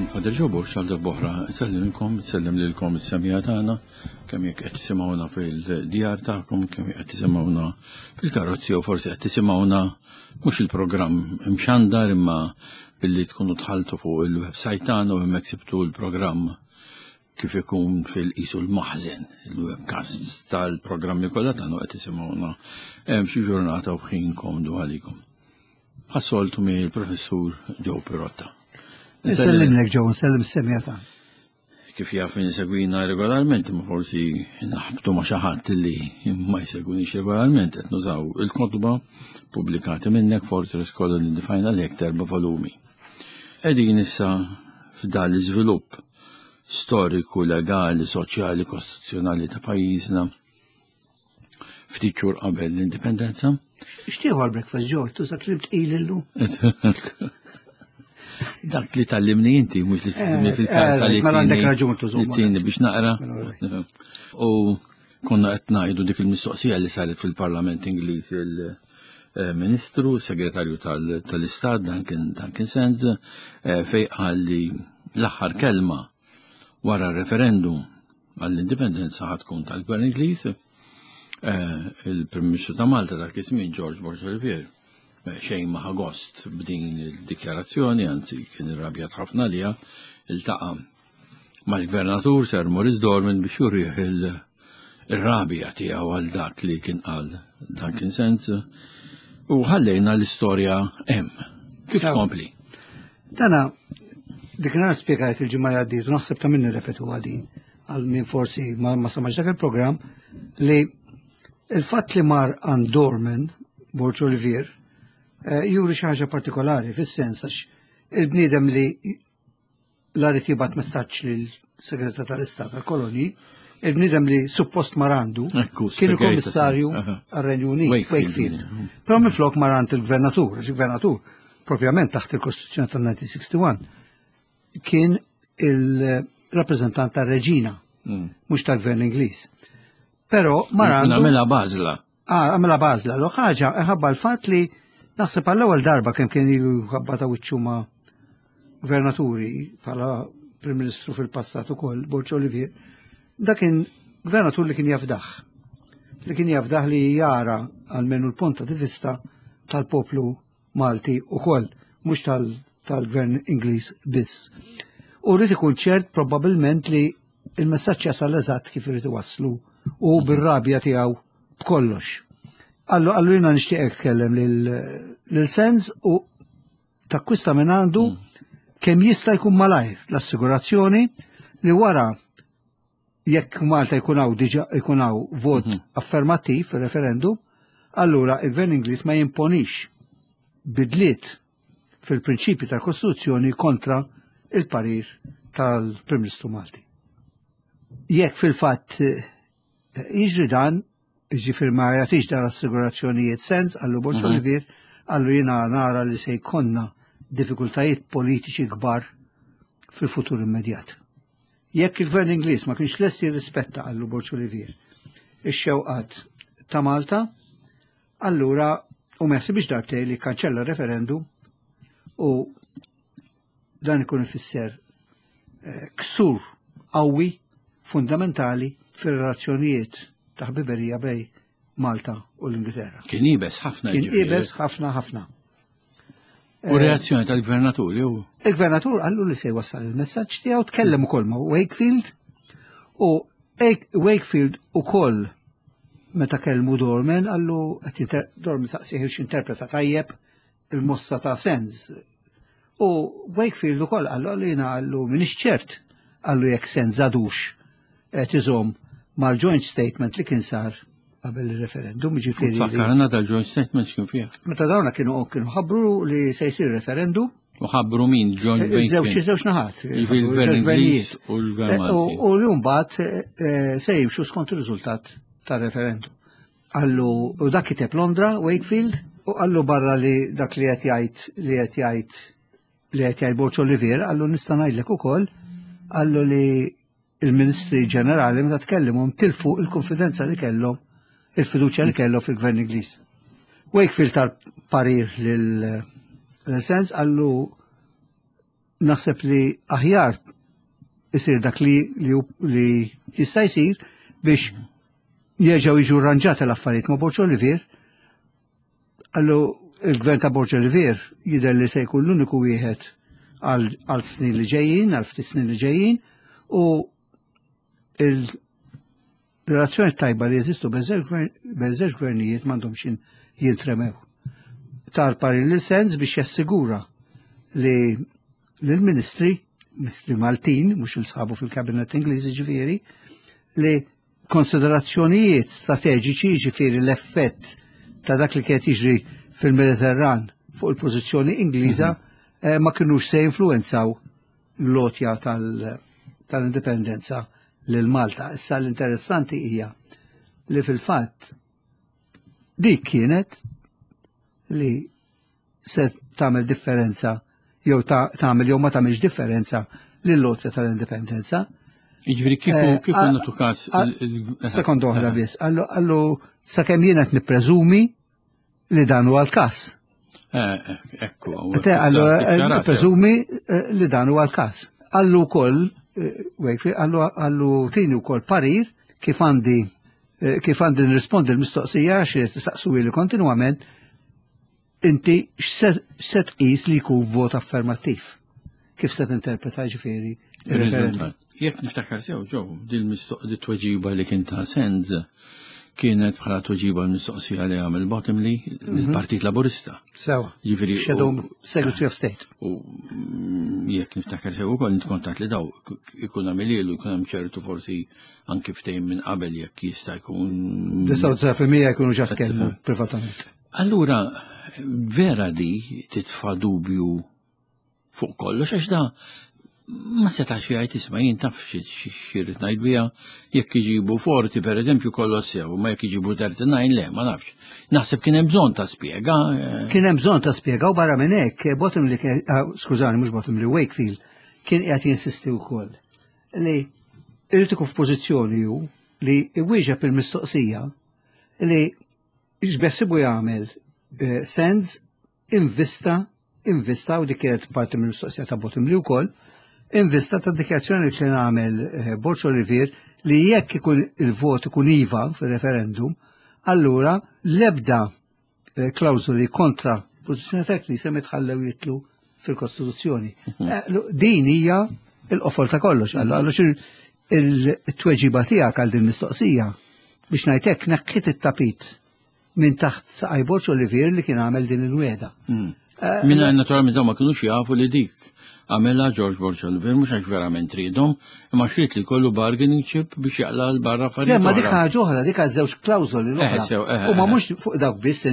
Father Joe Borg għal darb'oħra nsellimkom, nsellem lilkom is-semija tagħna, kemm jekk qed tisimgħuna fil-djar tagħkom, kemm jekk qed tisimgħuna fil-karozzi jew forsi qed tisimgħuna mhux il-programm imxandar imma billi tkunu dħaltu fuq il-website tagħna u hemmhekk sibtu l-programm kif ikun fil-qisu l-maħżen, il-webcasts tal-programmi kollha tagħna qed tisimgħuna hemm xi ġurnata u ħin komdu għalikom. Bħas-soltu mi il-professur Joe Pirotta. Nsellimlek Joe, nsellem s-semja ta' Kif jaf min segwina regolarment, ma forsi naħbtu ma xi ħadd li ma jsegwinix regolarment qed nużaw il-kotba pubblikati minnek Fortress Colony the Final Act erba' volumi. Qegħdin issa f'dan l-iżvilupp storiku, legali, soċjali, kostituzzjonali ta' pajjiżna ftit xhur qabel l-indipendenza. Xtieħu għal-breakfast ġo, tuża klib tqil illum. Dak li tallimni inti, mhux li tallimni eh, fil-karta eh, li. Mela għandek raġun tużu. Tini biex naqra. Mela, U konna qed ngħidu dik il-mistoqsija li saret fil-Parlament Ingliż il-Ministru, Segretarju tal-Istat Duncan Duncan Sands, eh, fej qal li l-aħħar kelma wara referendum għall-indipendenza ħad tkun tal-Gvern Ingliż, eh, il-Prim Ministru ta' Malta dak iż-żmien George Borg Olivier eh, xejn ma gost b'din il-dikjarazzjoni, anzi kien irrabjat ħafna liha, iltaqa' mal-Gvernatur Sir Maurice Dorman biex jurih il-rabja tiegħu għal dak li kien qal Duncan Sands u ħallejna l-istorja hemm. Kif tkompli? Dana, dik nhar spjegajt il-ġimgħa li għaddiet u naħseb ta' min nirrepetu din għal min forsi ma, ma samax dak il-programm li il-fatt li mar għand Dorman, Borġ Olivier, eh, juri xi ħaġa partikolari fis-sens għax il-bniedem li la rrid jibgħat messaġġ lil segretar tal-Istat tal-Kolonji, il-bniedem li suppost marandu kien il-Kummissarju għar-Renju Unit, Wakefield. Però minflok marant il-Gvernatur, il-Gvernatur propjament taħt il-Kostituzzjoni tal-1961 kien il-rappreżentant tar-Reġina, mm. mhux tal-Gvern Ingliż. Però marandu. Għamilha bażla. Ah, għamilha bażla. Lo ħaġa ħabba l-fatt li naħseb għall-ewwel darba kemm kien ilu ħabba ta' wiċċu ma' gvernaturi bħala Prim Ministru fil-passat ukoll, Borġ Olivier, dak kien gvernatur li kien jafdaħ. Li kien jafdaħ li jara għalmenu l-punta di vista tal-poplu Malti ukoll, mhux tal-gvern Ingliż biss. U rrid ikun ċert probabbilment li il-messaġġ jasal eżatt kif irid iwasslu u bir-rabja tiegħu b'kollox. Allu għallu jiena nixtieqek tkellem lil Sens u takkwista minn għandu mm. kemm jista' jkun malajr l-assigurazzjoni li wara jekk Malta jkun hawn diġà jkun hawn vot mhm. affermattiv fir-referendum, allura il-Gvern Ingliż ma jimponix bidliet fil-prinċipji tal-Kostituzzjoni kontra il-parir tal-Prim Ministru Malti. Jekk fil-fatt eh, jiġri dan, ġifir ma jagħtix dan assigurazzjonijiet sens, għallu Borġ mhm. Olivier, għallu jiena nara li se jkollna diffikultajiet politiċi kbar fil-futur immedjat. Jekk il-Gvern Ingliż ma kienx lest jirrispetta għallu Borġ Olivier ix-xewqat ta' Malta, allura u ma jaħsibx darbtej li kanċella referendum u dan ikun ifisser eh, ksur qawwi fundamentali fir-relazzjonijiet ta' ħbiberija bej Malta u l-Ingilterra. Kien ibes ħafna. Kien ibes ħafna ħafna. U eh, reazzjoni tal-gvernatur jew? Il-gvernatur qallu li se jwassal il-messaġġ tiegħu tkellem ukoll ma' Wakefield u Wakefield ukoll meta kellmu Dorman qallu Dorman saqsih interpreta tajjeb il-mossa ta' Sens. U Wakefield ukoll qallu qallu jiena qallu minix ċert qallu jekk Sens għadux qed iżomm mal-joint statement li kien sar qabel il-referendum, ġifieri. Fakkarna dal-joint statement x'kien fih. Meta dawna kienu kienu ħabbru li se jsir referendum. U ħabbru min joint eh, Żewġ żewġ naħat. Il-gvern Ingliż u l-gvern eh, U li mbagħad eh, se jimxu skont ir-riżultat tar-referendum. Qallu u dak kiteb Londra, Wakefield, u qallu barra li dak li qed jgħid li qed jgħid li qed jgħid Borġ Olivier, qallu nista' ngħidlek ukoll, qallu li il-Ministri Ġenerali meta tkellimhom tilfu il-konfidenza li kellhom, il-fiduċja li kellhom fil-Gvern Ingliż. Wakefield tal parir lil sens qallu. Naħseb li aħjar isir dak li, li, li jista' jsir biex jerġgħu jiġu rranġati l-affarijiet ma' Borġ Olivier. Għallu il-gvern ta' Borġ Olivier jidher li se jkun l-uniku wieħed għal snin li ġejjin, għal ftit snin li ġejjin, u il-relazzjoni tajba li jeżistu bejn żewġ gvernijiet m'għandhomx jintremew. Tar parir lil sens biex jassigura li l-ministri, ministri Maltin, mhux il-sħabu fil-kabinet Ingliż ġifieri, li konsiderazzjonijiet strateġiċi ġifieri l-effett ta' dak li kienet jiġri fil-Mediterran fuq il-pożizzjoni Ingliża ma kinux se jinfluwenzaw l-għotja tal-indipendenza lil Malta. Issa l-interessanti hija li fil-fatt dik kienet li se tagħmel differenza jew tagħmel jew ma tagħmilx differenza lill-għotja tal-indipendenza. Jiġifieri kieku eh, kieku nagħtu każ. Sekond oħra biss, għallu sakemm jien qed nippreżumi li dan huwa l-każ. Eh, eh, ekku. Għallu nippreżumi li dan huwa l-każ. Għallu wkoll, għallu tini wkoll parir kif għandi kif għandi nirrispondi l-mistoqsija xi tistaqsu li kontinwament inti x'se tqis li jkun vot affermattiv? Kif se tinterpreta ġifieri il-referendum? Jekk niftakar sew ġew din tweġiba li kien ta' Sands kienet bħala tweġiba l-mistoqsija li għamel Bottomley l-Partit Laburista. Sew. Ġifieri Shadow Secretary of State. U jekk niftakar sew ukoll nitkontat li daw ikun għamililu jkun hemm ċertu forsi anki ftehim minn qabel jekk jista' jkun. 99% jkunu ġa tkellmu privatament. Allura, vera di titfa' dubju fuq kollox għax da ma setax jgħid isma' jien taf xirrid ngħid biha jekk iġibu forti pereżempju kollox sew, ma jekk iġibu 39 le, ma nafx. Naħseb kien hemm bżonn ta' spjega. Eh. Kien hemm bżonn ta' spjega u barra minn hekk Bottomley ah, skużani mhux Bottomley Wakefield kien qiegħed jinsisti wkoll li irid ikun f'pożizzjoni hu li iwieġeb il-mistoqsija li X'beħsibu jagħmel eh, Sands invista, invista u dik kienet parti mill-mistoqsija ta' Bottomley wkoll, invista ta' dikjazzjoni li kien għamel eh, Borġ Olivier li jekk ikun il-vot ikun iva fil-referendum, allura l-ebda eh, klawżoli kontra pożizzjoni ta' Knisja mitħallew jitlu fil-Kostituzzjoni. Mhm. Din hija il-qofol ta' kollox, allura il-tweġiba tiegħek għal din mistoqsija biex ngħid hekk neħħiet it-tapit minn taħt saqaj Borġ Olivier li kien għamel din il-weda. Mm. Eh, Minna naturalment dawn ma kinux jafu li dik għamela George Borġ Olivier mhux għax verament tridhom, imma xrid li kollu bargaining chip biex jaqla l-barra affarijiet. Le, ma dik ħaġa oħra, dik għaż żewġ klawżoli l-oħra. Eh, eh, U ma mhux fuq dawk biss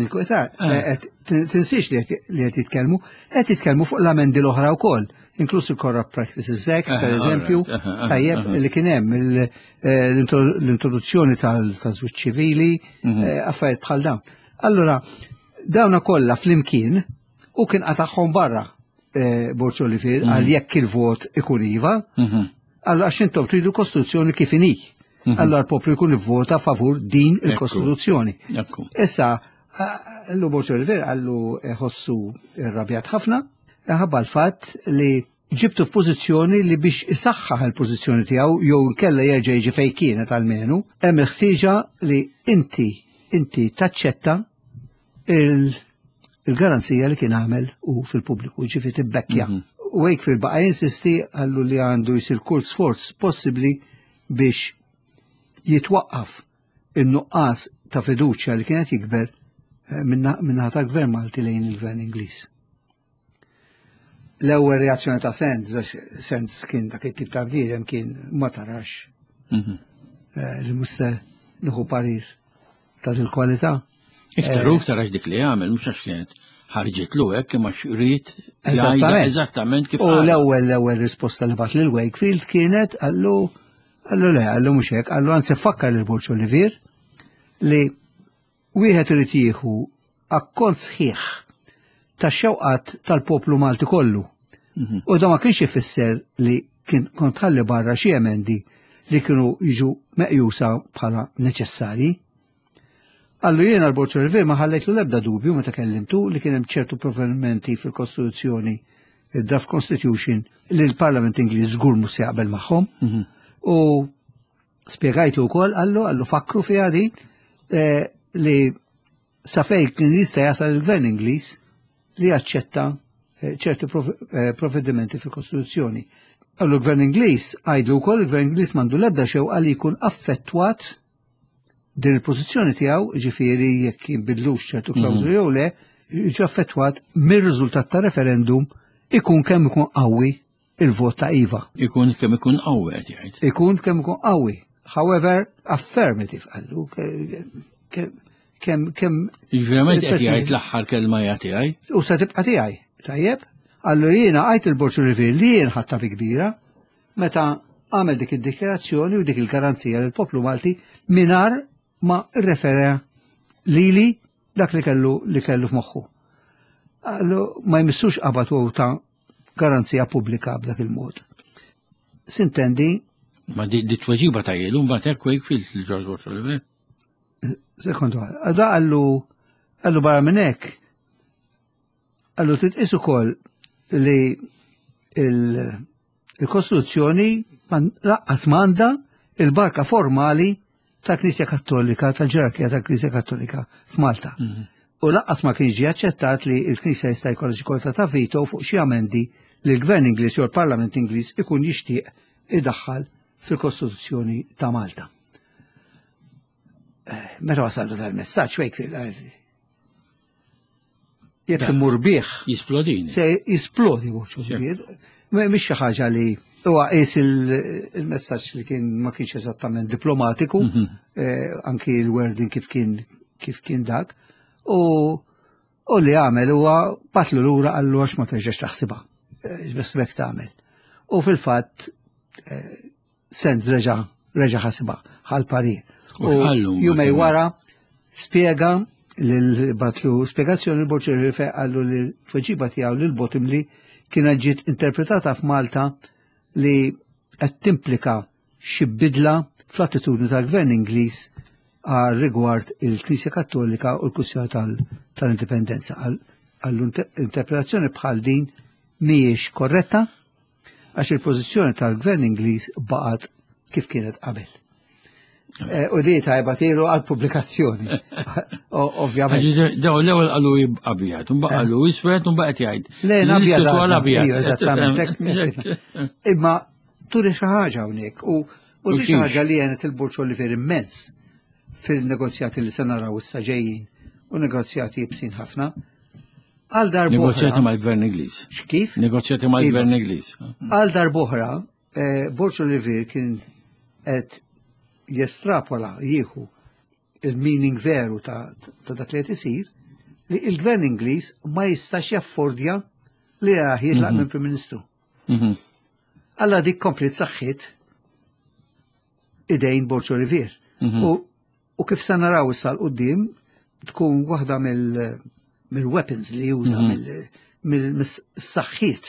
tinsiex li qed jitkellmu, qed jitkellmu fuq l-amendi l-oħra wkoll inkluż il-Corrupt Practices Act, per eżempju, tajjeb li kien hemm eh, l-introduzzjoni tal-żwieġ ċivili, mhm. eh, affarijiet bħal dawn. Allura, dawna kollha flimkien u kien qatagħhom barra eh, Borġ Olivier mhm. għal jekk il-vot ikun iva, mhm. allura għax intom tridu kostituzzjoni kif inhi. Allora l-poplu jkun ivvota favur din il-kostituzzjoni. Issa, l Borġ Olivier għallu ħossu irrabjat ħafna, ħabba l-fatt li ġibtu f'pożizzjoni li biex isaħħaħ il-pożizzjoni tiegħu jew inkella jerġa' jiġi fejn kienet almenu, hemm il-ħtieġa li inti inti taċċetta il-garanzija li kien għamel u fil-pubbliku, ġifi tibbekkja. Mhm. Wakefield baqa' jinsisti għallu li għandu jsir kull sforz possibbli biex jitwaqqaf in-nuqqas ta' fiduċja li kienet jikber eh, minnaħa tal-Gvern Malti lejn il-Gvern Ingliż. L-ewwel reazzjoni ta' Sands, għax Sands kien dak it-tip ta' bniedem kien ma tarax mhm. eh, li musta nieħu parir ta' il-kwalità. Iktar u eh, iktar għax dik li għamel, mhux għax kienet ħarġitlu hekk imma xrid eżattament kif. U l-ewwel l-ewwel risposta li bat lil Wakefield kienet għallu għallu le għallu mhux hekk, għallu anzi fakkar lil Borġ Olivier li Wieħed irid jieħu akkont sħiħ tax-xewqat tal-poplu Malti kollu. Mhm. U da ma kienx ifisser li kien kont ħalli barra xi emendi li kienu jiġu meqjusa bħala neċessarji. Allu jiena l-Bord River ma ħallejtlu l-ebda dubju meta kellimtu li kien hemm ċertu provvedimenti fil-Kostituzzjoni. il-Draft Constitution li l-Parlament Ingliż żgur mhux se jaqbel magħhom. U spjegajtu wkoll qallu qallu fakru fiha din eh, li sa fejn kien jista' jasal il-Gvern Ingliż li jaċċetta eh, ċertu eh, provvedimenti fil-Kostituzzjoni. Qallu l-Gvern Ingliż għidlu wkoll il-Gvern Ingliż m'għandu l-ebda xewqa li jkun affettwat din il-pożizzjoni tiegħu, ġifieri jekk jinbidlux ċertu klawżoli jew le, jiġi affettwat mir-riżultat ta' referendum ikun kemm ikun qawwi il-vot ta' iva. Ikun kemm ikun qawwi qed jgħid. Ikun kemm ikun qawwi. However, affirmative qallu kemm kemm Verament qed jgħid l-aħħar kelma hija tiegħi. U se tibqa' tiegħi. Tajjeb? Qallu jiena għajt il-Borġ Olivier li jien ħadtha bi kbira meta għamel dik id-dikjarazzjoni u dik il-garanzija lill poplu Malti mingħajr ma rrefera lili dak li kellu li kellu f'moħħu. Qallu ma jmissux qabad u ta' garanzija pubblika b'dak il-mod. Sintendi. Ma di tweġiba ta' jilu mbagħad hekk Wakefield li George Borg Olivier. Sekondu, da qallu qallu barra minn hekk qallu titqis ukoll li il-Kostituzzjoni laqqas m'għandha il-barka formali tal-Knisja Kattolika, tal-ġerarkija tal-Knisja Kattolika f'Malta. U laqqas ma kien ġie aċċettat li l-Knisja jista' jkollha xi kwota ta' veto fuq xi amendi li l-Gvern Ingliż jew l-Parlament Ingliż ikun jixtieq idaħħal fil-Kostituzzjoni ta' Malta. Eh, meta wasallu tal-messaġġ Wakefield jekk imur bih. Jisplodini. Se jisplodi Borġ Olivier. Mhix xi ħaġa li huwa qis il-messaġġ li kien ma kienx eżattament diplomatiku, mhm. eh, anki l-wording kif kien kif kien dak. U u li għamel huwa batlu lura qallu għax ma terġax taħsibha. Eh, bes bek tagħmel. U fil-fatt eh, Sands reġa' reġa' ħasibha ħal parir. U jumej wara spjega lil batlu spjegazzjoni l-Borġ Rife qallu li tweġiba tiegħu lil Bottomley kienet ġiet interpretata f'Malta li qed timplika xi bidla fl-attitudni tal-Gvern Ingliż għal rigward il-Knisja Kattolika u l-kwistjoni tal-indipendenza. Għall-interpretazzjoni bħal din mhijiex korretta għax il-pożizzjoni tal-gvern Ingliż baqgħet kif kienet qabel. Eh, u di tajba tilu għal-pubblikazzjoni. Ovvjament. Daw l-ewwel qalu abjad, un qalu eh. iswed, un baqgħet jgħid. Le, abjad. Eżattament. Imma turi xi ħaġa hawnhekk u u xi ħaġa li għenet il-Burċ Oliver immens fil-negozjati li se naraw issa ġejjin u negozjati jibsin ħafna. Għal darbohra. Negozjati mal-Gvern Ingliż. Kif? Negozjati mal-Gvern iva. Ingliż. Għal darbohra, eh, Borġ Olivier kien qed jestrapola jieħu il-meaning veru ta' dak li qed isir li il-Gvern Ingliż ma jistax jaffordja li jitlaq mhm. minn Prim Ministru. Mhm. Alla dik komplet saħħit idejn Borġ Olivier. Mhm. U U kif se naraw issa 'l quddiem tkun waħda mill-weapons li juża mhm. mill-saħħiet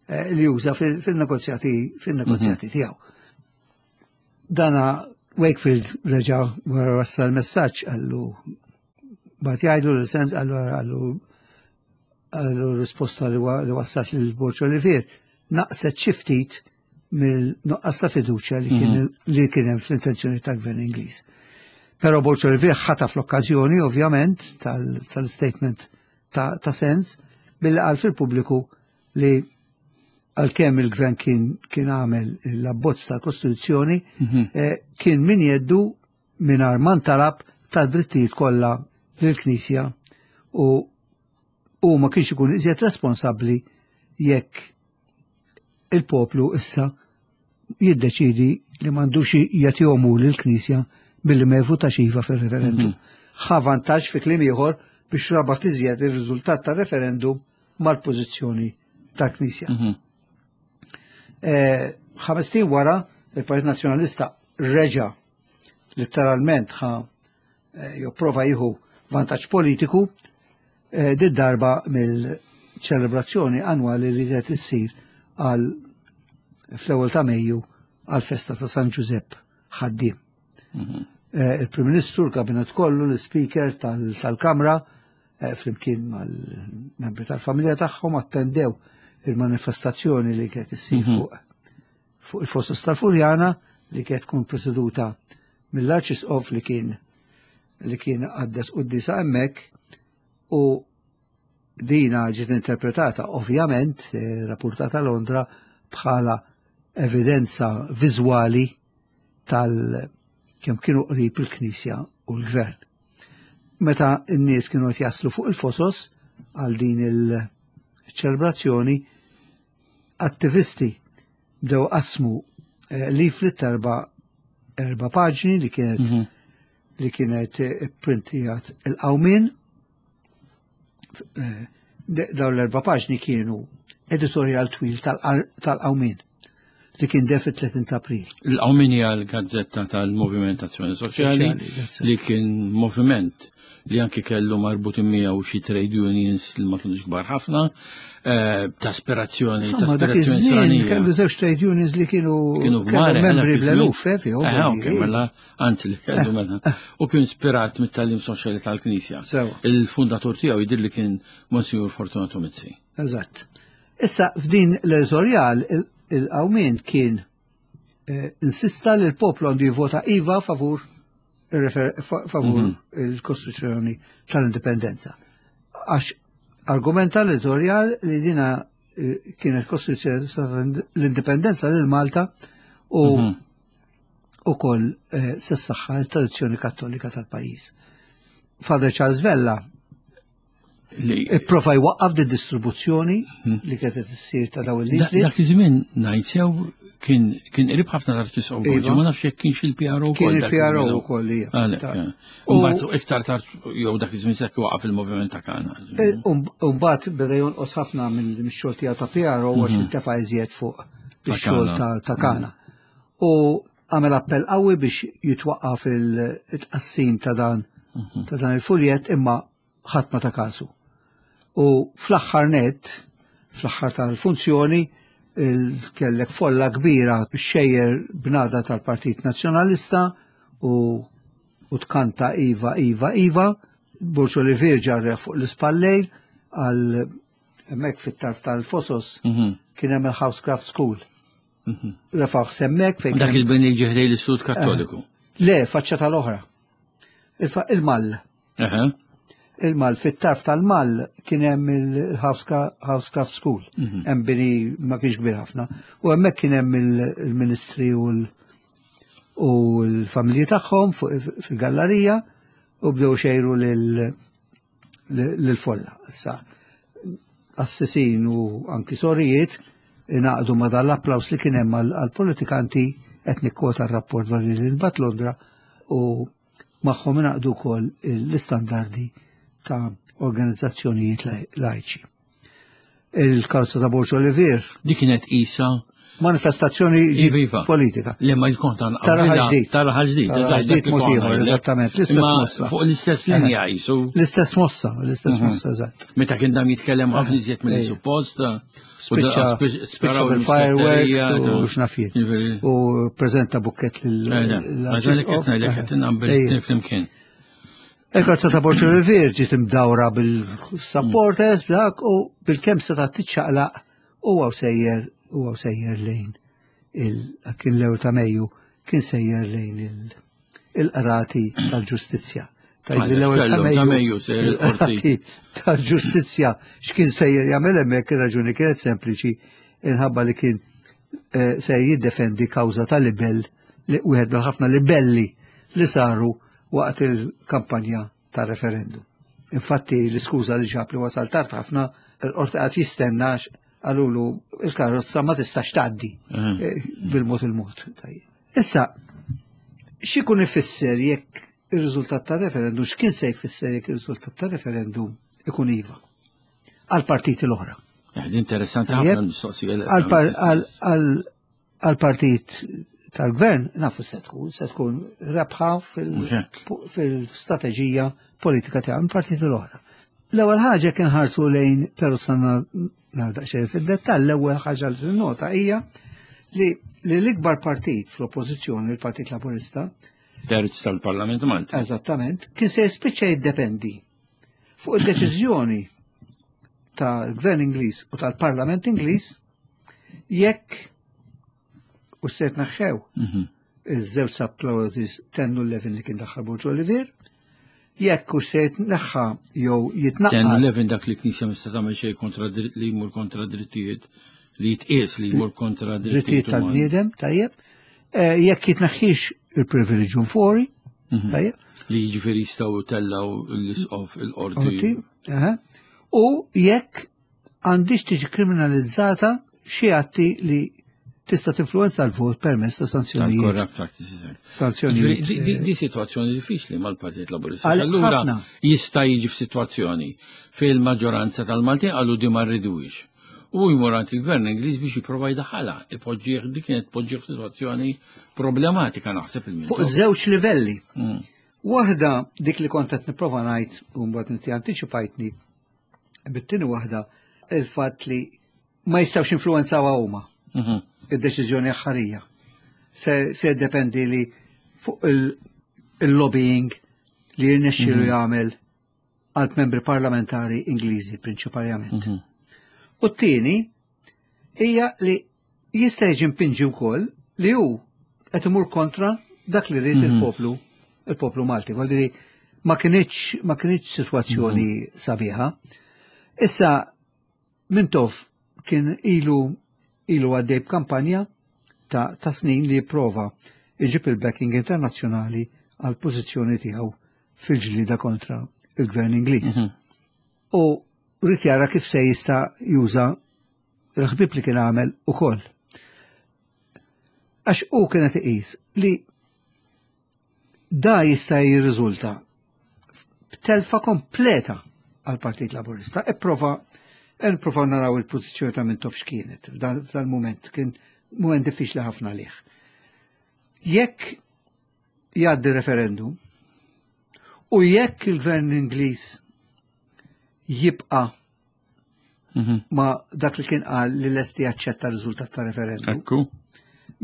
eh, li juża fil-negozjati fil-negozjati mhm. tiegħu. Dana Wakefield reġa' wara wassal messaġġ għallu bat jgħidu l-sens għallu għallu għallu risposta li wassat lil Borġ Olivier naqset xi ftit mill-nuqqas ta' fiduċja li kien mhm. li kien hemm fl-intenzjoni tal-Gvern Ingliż. Però Borġ Olivier ħataf l-okkażjoni ovvjament tal-statement ta', ta sens billi qal fil-pubbliku li għalkemm il-gvern kien kien għamel l-abbozz tal-Kostituzzjoni mhm. eh, kien min jeddu mingħajr ma ntalab tad-drittijiet kollha lill-Knisja u u ma kienx ikun iżjed responsabbli jekk il-poplu issa jiddeċidi li m'għandux jagħtihom hu lill-Knisja billi ma jivvutax iva fir-referendum. Mhm. Ħa vantaġġ fi kliem ieħor biex rabat iżjed ir-riżultat tar-referendum mal-pożizzjoni tal-Knisja. Mhm. Eh, ħames wara il-Partit Nazzjonalista reġa' letteralment ħa eh, jopprova jieħu vantaġġ politiku eh, di darba mill-ċelebrazzjoni annwali li qed issir għal fl-ewwel ta' Mejju għal festa ta' San Ġużepp ħaddiem. Mhm. Eh, Il-Prim Ministru, l-Kabinet kollu, l-Speaker tal-Kamra, flimkien mal-membri tal-familja tagħhom attendew il-manifestazzjoni li kienet issir fuq fuq il-Fosos tal-Furjana li kienet tkun preseduta mill-Arċisqof li kien qaddes quddiesa hemmhekk u dina ġiet interpretata ovvjament rapportata Londra bħala evidenza viżwali tal kemm kienu qrib il-Knisja u l-Gvern. Meta n-nies kienu qed jaslu fuq il-fosos għal din il-ċelebrazzjoni, attivisti bdew qasmu leaflet erba' paġni li kienet li kienet printijat il-Qawmien. Dawn l-erba' paġni kienu editorial twil tal-Qawmien li kien def fit-30 ta' April. Il-Qawmien hija l-gazzetta tal-Moviment Azzjoni Soċjali li kien moviment li anki kellu marbutin miegħu xi trade unions li ma kienux kbar ħafna, ta' aspirazzjoni, ta' Insomma, dak aspirazzjoni iż-żmien stranija. kellu żewġ trade unions li kienu Kienu kellu kbar, membri dak iż-żmien. bl-eluf, fihom, Ok, mela, anzi li kellu mela. U kien ispirat mit-tagħlim soċjali tal-Knisja. Il-fundatur tiegħu jidher li kien Monsignor Fortunato Mizzi. Eżatt. Issa f'din l-editorial il-Qawmien kien insista li l-poplu għandu jivvota iva favur favur il-Kostituzzjoni tal-Indipendenza. Għax argumenta l-editorial li dina kienet Kostituzzjoni tal-Indipendenza lil Malta u ukoll se ssaħħa l-tradizzjoni kattolika tal-pajjiż. Father Charles Vella Li ipprova jwaqqaf di distribuzzjoni li kienet issir ta' dawn il-leaflets. Dak iż-żmien ngħid sew kien qrib ħafna l-Arċisqof Borġi, ma nafx jekk kienx il-PRO Kien wkoll dak il-PRO iż-żmien. wkoll, ija. Għalhekk, eh. Mbagħad iktar tard jew dak iż-żmien sekk waqaf il-moviment ta' Kana. Mbagħad beda jonqos ħafna mix-xogħol tiegħu ta' PRO għax intefa' iżjed fuq Ta' ix-xogħol Kana. ta' Kana. U għamel appell qawwi biex jitwaqqaf il-tqassim ta' dan il-fuljet, imma ħadd ma ta' kasu. U fl-aħħar net, fl-aħħar tal-funzjoni, kellek folla kbira xejjer bnada tal-Partit Nazzjonalista u tkanta Iva, Iva, Iva, Borg Olivier ġarreħ fuq l-ispallejn għal hemmhekk fit-tarf tal-Fosos kien hemm il-Housecraft School. Refaħ semmek fejn Dak kien il-bini ġeħdej l-Istitut Kattoliku. Le, faċċa tal-oħra. Il-Mall. Il-Mall, fit-tarf tal-Mall kien hemm il-Housecraft School. Hemm bini ma kienx kbir ħafna. U hemmhekk kien hemm il-ministri u l-familji tagħhom fil-gallerija u bdew xejru lil-folla. Issa, assisin u anki sorijiet ingħaqdu ma dan l-applaus li kien hemm għall-politikanti, qed nikkwota r-rapport dwar li nbat Londra, u magħhom ingħaqdu wkoll l-istandardi ta' organizzazzjonijiet lajċi. Il-karozza ta' Borg Olivier. Dik kienet isa manifestazzjoni Iva, iva. politika. Li ma jkun ta' Ta' raħal ġdid. Ta' raħal ġdid, Ta' raħal eżatt, ġdid dak li mod konna ieħor, ngħidlek. eżattament, l-istess Imma mossa. Fuq l-istess linja jisu. L-istess mossa, l-istess mossa, eżatt. Meta kien dam jitkellem ħafna iżjed mill suppost. Spiċċa Spiċċa bil-fireworks u x'naf jien. U prezenta bukket lil Ma ġalek qed ngħidlek qed inqabbel it-tnejn flimkien. Il-karozza ta' Borg Olivier ġiet imdawra bil-supporters, dak, u bil-kemm seta' tiċċaqlaq u għaw sejjer, u għaw sejjer lejn kien l-ewwel ta' Mejju, kien sejjer lejn il-qrati tal-ġustizzja. Tajt li l-ewwel ta' Kellu, ta' Mejju, Mejju sejjer il-qorti. il-qrati tal-ġustizzja. X'kien sejjer jagħmel hemmhekk, ir-raġuni kienet sempliċi, inħabba li kien sejjer jiddefendi kawża ta' libell, li wieħed mill-ħafna libelli li saru waqt il-kampanja ta' referendum. Infatti l-iskuża li ġab li wasal tard ħafna, il-qorti qed jistenna għalulu il-karozza ma tistax tgħaddi bil-mod il-mod. Tajjeb. Issa, x'ikun ifisser jekk ir-riżultat ta' referendum, x'kien se jfisser jekk ir-riżultat ta' referendum ikun iva għal-partiti l-oħra? Interessanti Tajjeb. ħafna l-mistoqsija li qed Għal-partit tal-gvern nafu se tkun rebħa Mhux hekk. fil-strateġija politika tiegħu il-partiti l-oħra. L-ewwel ħaġa kien ħarsu lejn, però sanna nagħmel daqsxejn fid-dettall, l-ewwel ħaġa li nota hija li l-ikbar partit fl-oppożizzjoni, il-Partit Laburista, terz tal-Parlament Malti. Eżattament, kien se jispiċċa jiddependi fuq id-deċiżjoni tal-Gvern Ingliż u tal-Parlament Ingliż jekk u se jitneħħew iż-żewġ sub-clauses 10 u 11 li kien daħħal Borg Olivier, jekk u se jitneħħa jew jitnaqqas. 10 u 11 dak li knisja mista tagħmel xejn kontra li jmur kontra drittijiet li jitqies li jmur kontra drittijiet tal-bniedem, tajjeb. Eh, jekk jitneħħix il-privileġġ fori, mhm. tajjeb. Li jiġifieri jistgħu tellaw l-isqof il-qorti. U jekk għandhiex tiġi kriminalizzata xi atti li tista' tinfluwenza l-vot permezz ta' sanzjonijiet. Corrupt practices. Sanzjonijiet. Di situazzjoni diffiċli mal-Partit Laburista. Allura jista' jiġi f'sitwazzjoni fejn il-maġġoranza tal-Maltin qalu di ma rridux. U jmur għand il-gvern Ingliż biex jipprova jdaħħalha, ipoġġih dik kienet tpoġġih f'sitwazzjoni problematika naħseb il Fuq żewġ livelli. Waħda dik li kont qed nipprova ngħid u mbagħad inti antiċipajtni Bit-tieni waħda il-fatt li ma jistgħux influenzawha huma mhm. id-deċiżjoni aħħarija. Se, se jiddependi li fuq il-lobbying li jirnexxielu mhm. jagħmel għal membri parlamentari Ingliżi prinċipalment. Mhm. U t-tieni hija li jista' jiġi mpinġi wkoll li hu qed imur kontra dak li rrid il-poplu il-poplu Malti. Vuol ma kinitx ma kinitx sitwazzjoni mhm. sabiħa. Issa Mintoff kien ilu ilu għaddej b'kampanja ta', ta snin li jipprova iġib il-backing internazzjonali għal pożizzjoni tiegħu fil-ġlida kontra il-gvern Ingliż. Mm -hmm. U rrid jara kif se jista' juża il-ħbib li kien għamel ukoll. Għax u kienet iqis li da jista' jirriżulta b'telfa kompleta għal Partit Laburista. Ipprova nipprova naraw il-pożizzjoni ta' Mintoff x'kienet f'dan mument kien mument diffiċli ħafna għalih. Jekk jgħaddi referendum u jekk il-gvern Ingliż jibqa' mhm. ma dak li kien qal li lesti jaċċetta r-riżultat ta' referendum. Ekku.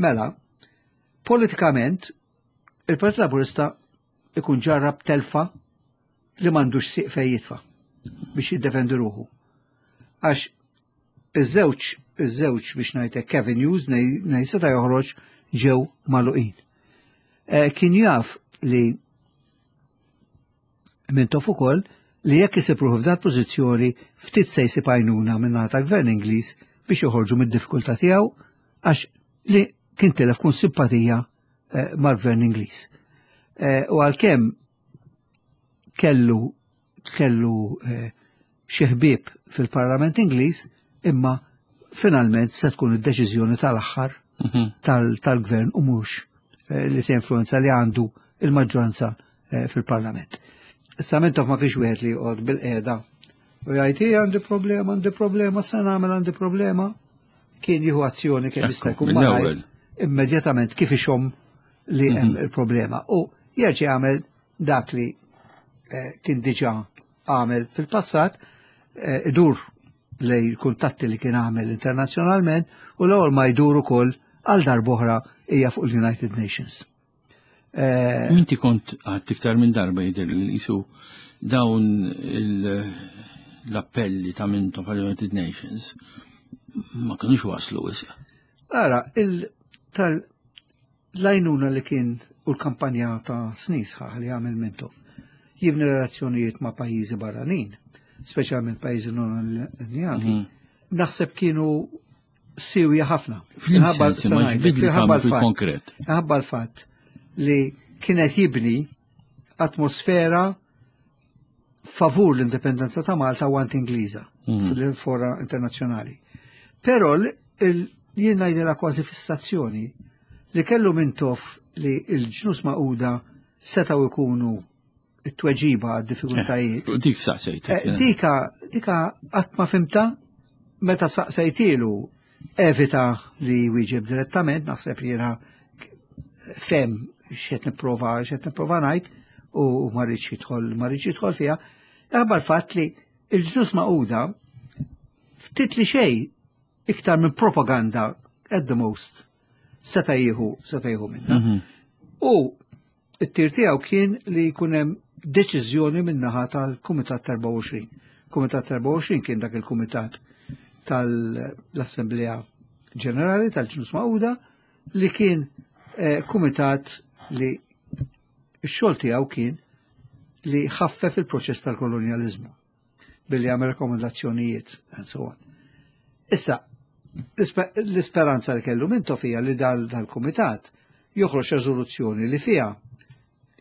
Mela, politikament il-Partit Laburista ikun ġarrab telfa li m'għandux siq fejn jitfa' biex jiddefendi ruħu. Għax iż-żewġ iż-żewġ biex ngħidlek Kevin News nej seta' joħroġ ġew magħluqin. Eh, kien jaf li Mintoff ukoll li jekk isib ruħu f'dal pożizzjoni ftit se jsib għajnuna min-naħa tal-Gvern Ingliż biex joħorġu mid-diffikultà tiegħu għax li kien tilef kun simpatija eh, mal-Gvern Ingliż. Eh, u għalkemm kellu kellu eh, xi ħbieb fil-Parlament Ingliż, imma finalment se tkun id-deċiżjoni tal-aħħar mhm. tal-gvern u mhux eh, li se influenza li għandu il-maġġoranza eh, fil-Parlament. Issa Mintoff ma kienx wieħed li joqgħod bil-qiegħda u jgħid għandi problema, għandi problema, se nagħmel għandi problema. Kien jieħu azzjoni kemm jista' jkun malajr immedjatament kif ixomm li hemm mhm. il-problema. U jerġa' jagħmel dak li eh, kien diġà għamel fil-passat, eh, idur lej kuntatti li kien għamel internazzjonalment u l-ewwel ma jdur ukoll għal darb'oħra hija fuq il-United Nations. Eh, Inti kont għad iktar minn darba jidher li jisu dawn l-appelli ta' mintom għal-United Nations ma kienux waslu wisq. Ara, tal l-għajnuna li kien u l-kampanja ta' snin sħaħ li għamel Mintoff jibni relazzjonijiet ma' pajjiżi barranin, speċjalment pajjiżi non allinjati, mhm. naħseb kienu siwja ħafna. Fil-konkret. Ħabba l-fatt li kienet jibni atmosfera favur l-indipendenza ta' Malta u anti-Ingliża mhm. fil-fora internazzjonali. Però jien ngħidilha kważi fissazzjoni li kellu Mintoff li l-ġnus Magħquda setgħu jkunu it-tweġiba għad-diffikultajiet. Eh, dik saqsejt. Eh, dika, dika qatt ma fimta meta saqsejtilu evita li wieġeb direttament, naħseb li jiena fem x'qed nipprova x'qed nipprova ngħid u ma rridx jidħol ma rridx jidħol fiha. Ħabba l-fatt li l-ġnus Magħquda ftit li xejn iktar minn propaganda at the most seta' jieħu seta' jieħu minna. Mhm. U it-tir tiegħu kien li jkun hemm deċiżjoni min-naħa tal-Kumitat 24. Kumitat 24 kien dak il-kumitat tal-Assemblea Ġenerali tal-Ġnus Magħquda li kien eh, kumitat li x-xogħol tiegħu kien li ħaffef il-proċess tal-kolonjaliżmu billi għamel rekomendazzjonijiet and so on. Issa, l-isperanza li kellu Mintoff hija li dal-kumitat joħroġ rezoluzzjoni li fiha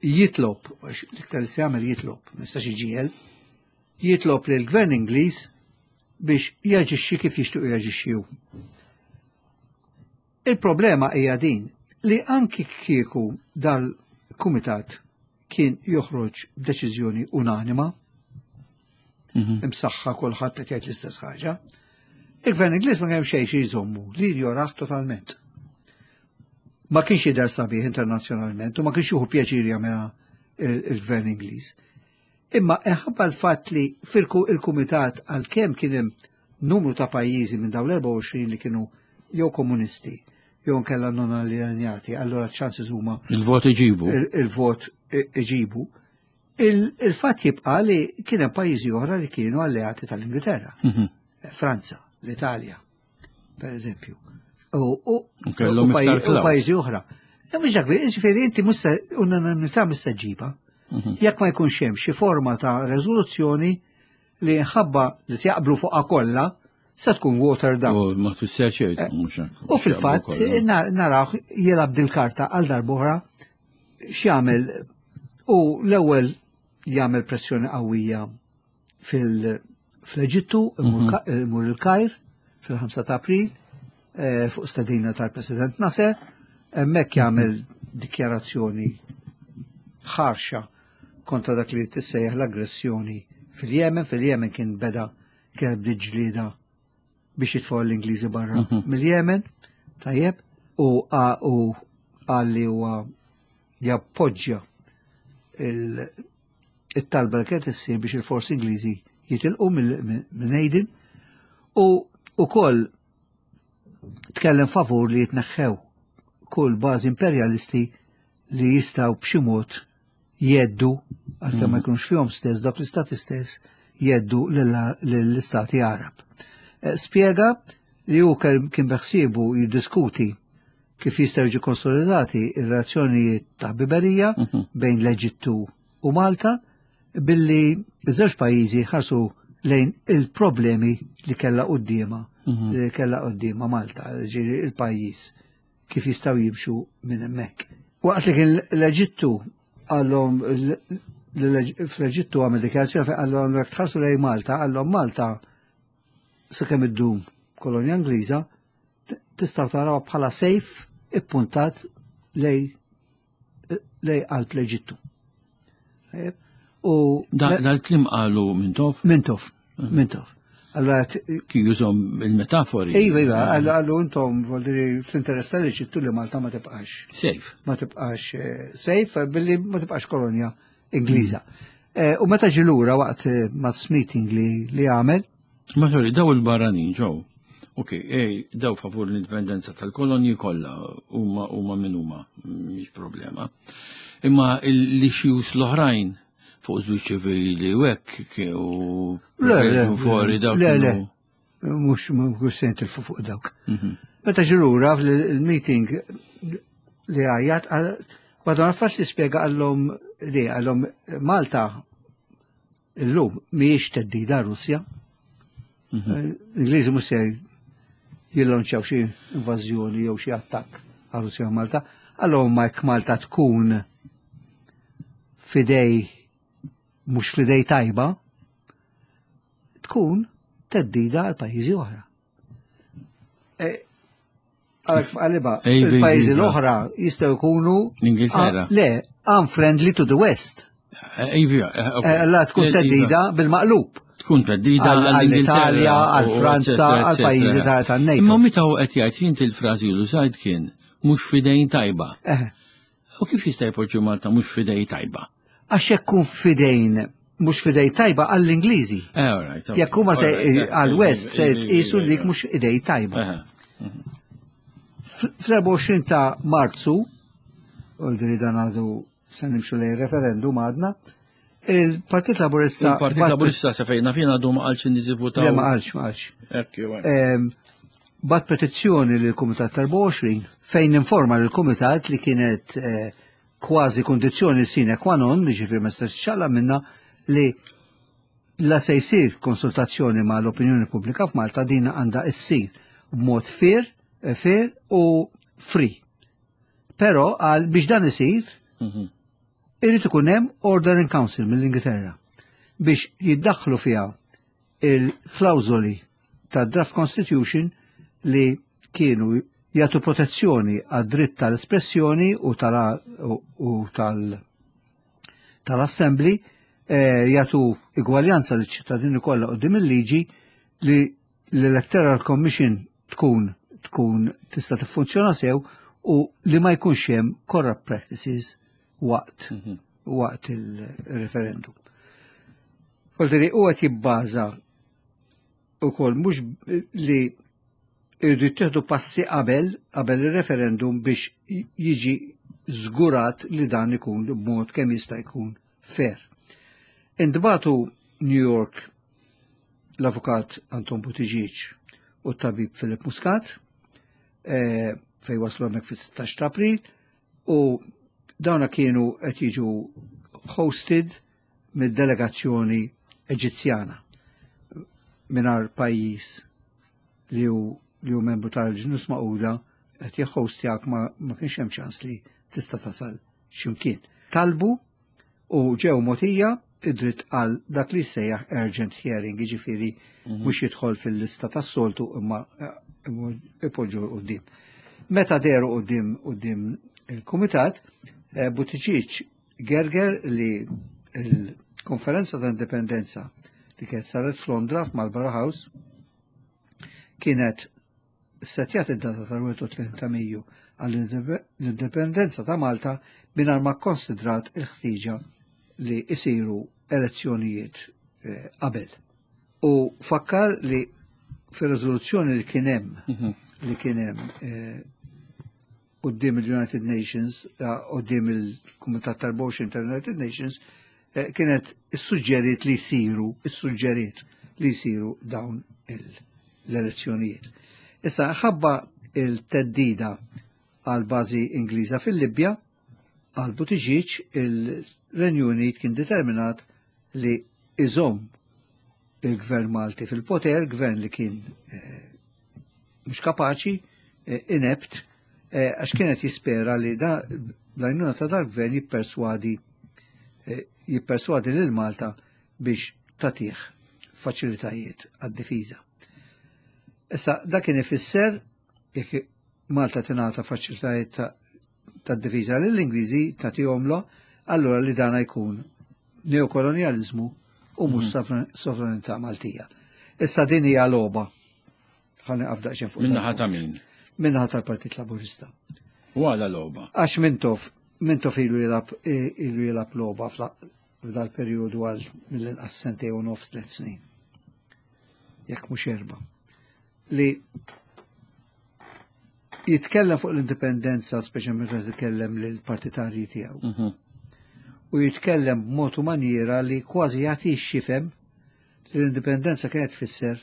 jitlob, l-iktar li se jagħmel jitlob, ma jistax iġiegħel, jitlob li l-gvern Ingliż biex jaġixxi kif jixtiequ jaġixxi hu. Il-problema hija din li anki kieku dal-kumitat kien joħroġ b'deċiżjoni unanima, mhm. imsaħħa kulħadd qed jgħid l-istess ħaġa, il-gvern Ingliż ma kemm xejn xi jżommu li joraħ totalment. Ma kienx jidher sabiħ internazzjonalment u ma kienx juhu pjaċir jagħmilha il-gvern Ingliż. Imma inħabba l-fatt li fil-kumitat għalkemm kien hemm numru ta' pajjiżi minn dawn l-24 li kienu jew komunisti jew nkella non allinjati, allura ċansi huma. Il-vot iġibu. Il-vot iġibu. Il-fatt jibqa' li kien hemm pajjiżi oħra li kienu alleati tal-Ingilterra. Mhm. Franza, l-Italja, per eżempju. U pajjiżi oħra. E mhux dak, jiġifieri inti mhux unanimità mhux se ġġibha. Mhm. Jekk ma jkunx hemm xi forma ta' reżoluzzjoni li nħabba li se jaqblu fuqha kollha, se tkun water down. U ma tfisser xejn, eh, mhux hekk. U fil-fatt naraw jilgħab dil-karta għal darb'oħra x'jagħmel u l-ewwel jagħmel pressjoni qawwija fil-Eġittu, mhm. imur il-Kajr fil-5 ta' April eh, fuq stedina tal-President Nasser, hemmhekk jagħmel dikjarazzjoni ħarxa kontra dak li tissejjaħ l-aggressjoni fil-Jemen. Fil-Jemen kien beda kien bdiet ġlieda biex jitfgħu l-Ingliżi barra mhm. mill-Jemen, tajjeb, u qal li huwa jappoġġja it-talba li kienet issir biex il-forsi Ingliżi jitilqu minn Aden u ukoll tkellem favur li jitneħħew kull bażi imperjalisti li jistgħu b'xi mod jeddu għalkemm ma mm. jkunux fihom stess dak l-istati stess jeddu lill-istati Arab. Eh, spjega li hu kien beħsiebu jiddiskuti kif jistgħu jiġu konsolidati ir-relazzjonijiet ta' ħbiberija mhm. bejn l-Eġittu u Malta billi iż-żewġ pajjiżi ħarsu lejn il-problemi li kellha quddiema mhm. li kellha quddiema Malta, ġieri il-pajjiż kif jistgħu jimxu minn hemmhekk. Waqt li kien l-Eġittu għallhom fl-Eġittu għamel dikjarazzjoni fejn għallhom jekk tħarsu lejn Malta, għallhom Malta sakemm iddum kolonja Ingliża tistgħu taraw bħala sejf ippuntat lej lej qalb l-Eġittu. U dal-klim qalu Mintoff? Mintoff, mhm. Mintoff. Allora kien jużhom il-metafori. Iva, iva, għallu intom voldiri fl-interess tal-Eġittu li Malta ma tibqax. Safe. Ma tibqax eh, safe billi ma tibqax kolonja Ingliża. Mm. Eh, u meta ġilura waqt eh, mass meeting li li għamel. Ma sorry, daw il-barranin ġew. Ok, ej, daw favur l-indipendenza tal-kolonji kollha huma huma min huma, mhix problema. Imma l-issues l-oħrajn fuq żwieġ ċivili u hekk u Le, le, fuori dawk. Le, le, mhux mhux se jintilfu fuq dawk. Mhm. Meta ġilura fil-meeting li għajjat, madonna fatt li spjega għallhom li għallhom Malta illum mhijiex teddida Russja. Mhm. Eh, L-Ingliżi mhux se jillonċjaw xi invażjoni jew xi attakk għal Russja u Malta. Allora ma jekk Malta tkun fidej mhux fidej tajba, tkun teddida għal pajjiżi oħra. E, għaliba, il-pajjiżi l-oħra jistgħu jkunu L-Ingilterra. Le, unfriendly to the West. Eh, eh, la tkun teddida bil-maqlub. Tkun teddida għall-Italja, għall-Franza, għall-pajjiżi ta' NATO. Imma meta u qed jgħid jint il-frażi li użajt kien mhux fidejn tajba. U kif jista' jpoġġu Malta mhux fidej tajba? Għax jekk kun fidejn mhux fidej tajba għall-Ingliżi. Eh, jekk huma se għall-West se jqisu dik mhux idej tajba. Fl-24 ta' Marzu, u dan għadu se nimxu lejn referendum għadna, Il-Partit Laburista. Il-Partit Laburista sa fejna fina għadu ma qalx in-nies ivvutaw. Le ma qalx, ma qalx. Bat petizzjoni lill kumitat tal-24 fejn informa lill kumitat li kienet eh, kważi kondizzjoni sine qua non, ġifieri ma stax ċalla minna li la se jsir konsultazzjoni ma l-opinjoni pubblika f'Malta din għandha issir b'mod fair, eh, fair u free. Però għal biex dan isir, mhm. Irid ikun hemm Order in Council mill-Ingilterra biex jiddaħħlu fiha il-klawżoli ta' Draft Constitution li kienu jagħtu protezzjoni għad-dritt tal-espressjoni u tal-assembly eh, jagħtu igwaljanza liċ ċittadini kollha qudiem il-liġi li l-Electoral Commission tkun tkun tista' tiffunzjona sew u li ma jkunx hemm corrupt practices waqt mhm. waqt il-referendum. Volteri u qed jibbaża ukoll mhux li irridu jittieħdu passi qabel qabel ir-referendum biex jiġi żgurat li dan ikun b'mod kemm jista' jkun fair. Intbatu New York l-avukat Anton Buttigieg u t-tabib Philip Muscat eh, fej waslu hemmhekk fis-16 ta' April u dawna kienu qed jiġu hosted mid-delegazzjoni Eġizzjana mingħajr pajjiż li hu li hu membru tal-ġnus Magħquda qed jihhostjak ma, ma kienx hemm ċans li tista' tasal x'imkien. Talbu u ġew mogħtija id-dritt għal dak li jsejjaħ urgent hearing, jiġifieri mhm. mhux jidħol fil-lista tas-soltu imma eh, ipoġġu quddiem. Meta deru quddiem quddiem il-kumitat, eh, Buttigieg gerger li l-konferenza ta' indipendenza li kienet saret f'Londra f'Marlborough House kienet Issettjat id-data tal-31 ta' Mejju għall-indipendenza ta' Malta mingħajr ma kkonsidrat il-ħtieġa li jsiru elezzjonijiet eh, qabel. U fakkar li fir-riżoluzzjoni li kien hemm mhm. li kien hemm eh, quddiem il-United Nations, eh, quddiem il-Kumitat tal-Boxing tal-United Nations, eh, kienet issuġġeriet li jsiru, issuġġeriet li jsiru dawn l-elezzjonijiet. Issa, ħabba il-teddida għal bażi Ingliża fil-Libja, għal Buttigieg il-Renju Unit kien determinat li iżomm il-gvern Malti fil-poter, gvern li kien eh, mhux kapaċi, eh, inept, eh, għax kienet jispera li da l-għajnuna ta' dal-gvern jipperswadi jipperswadi lil Malta biex tatih faċilitajiet għad-difiża. Issa dak kien ifisser jekk Malta tingħata faċilitajiet tad-difiża lill-Ingliżi tagħtihomlu, allura li dana jkun neokolonjaliżmu u mhux mhm. sovranità Maltija. Issa din hija logħba. Ħalli naqaf daqsxejn fuq. Minnaħa ta' min? Minnaħa tal-Partit Laburista. U għala logħba? Għax Mintoff, Mintoff ilu jilgħab ilu jilgħab logħba f'dal perjodu għal mill-inqas sentej u nofs tliet snin. Jekk mhux erba'. Li jitkellem fuq l-indipendenza, speċjalment meta jitkellem lill-partitarji tiegħu. Mhm. U jitkellem b'mod u maniera li kważi jagħti xifem li l-indipendenza kienet tfisser